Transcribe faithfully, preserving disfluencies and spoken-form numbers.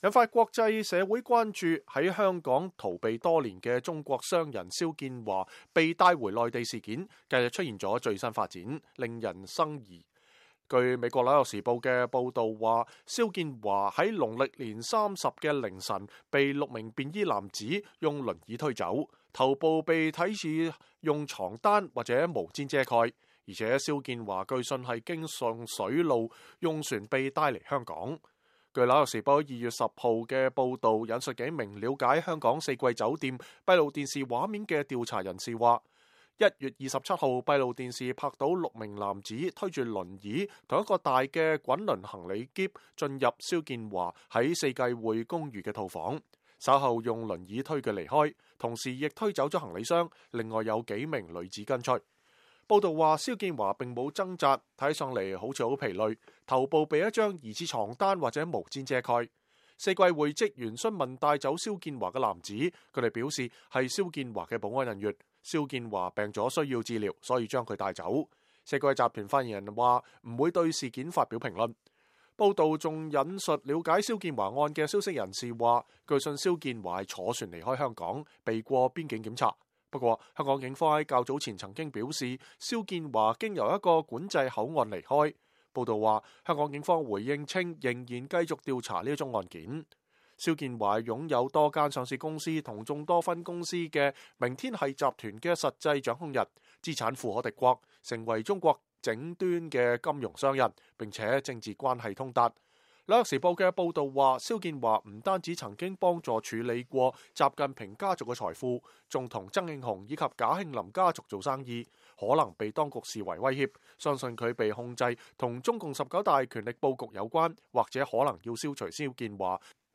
引發國際社會關注。喺香港逃避多年嘅中國商人肖建華被帶回內地事件，近日出現咗最新發展，令人生疑。據美國《紐約時報》嘅報導話，肖建華喺農曆年三十嘅凌晨被六名便衣男子用輪椅推走，頭部被睇似用床單或者毛氈遮蓋，而且肖建華據信係經上水路用船被帶嚟香港。據《紐約時報》二月十號嘅報導，引述幾名了解香港四季酒店閉路電視畫面嘅調查人士話，一月二十七號閉路電視拍到六名男子推住輪椅同一個大嘅滾輪行李篋進入肖建華喺四季匯公寓嘅套房，稍後用輪椅推佢離開，同時亦推走咗行李箱。另外有幾名女子跟隨。報道話，肖建華並冇掙扎，睇上嚟好似好疲累，頭部被一張疑似床單或者毛氈遮蓋。四季匯職員詢問帶走肖建華嘅男子，佢哋表示係肖建華嘅保安人員。肖建華病咗需要治療，所以將佢帶走。四季集團發言人話唔會對事件發表評論。報道仲引述了解肖建華案嘅消息人士話，據信肖建華係坐船離開香港，避過邊境檢查。不過，香港警方喺較早前曾經表示，肖建華經由一個管制口岸離開。報道話，香港警方回應稱，仍然繼續調查呢一宗案件。肖建華擁有多間上市公司同眾多分公司嘅明天系集團嘅實際掌控人，資產富可敵國，成為中國頂端嘅金融商人，並且政治關係通達。《紐約時報》嘅報導話，肖建華唔單止曾經幫助處理過習近平家族嘅財富，仲同曾慶紅以及賈慶林家族做生意，可能被當局視為威脅。相信佢被控制同中共十九大權力佈局有關，或者可能要消除肖建華，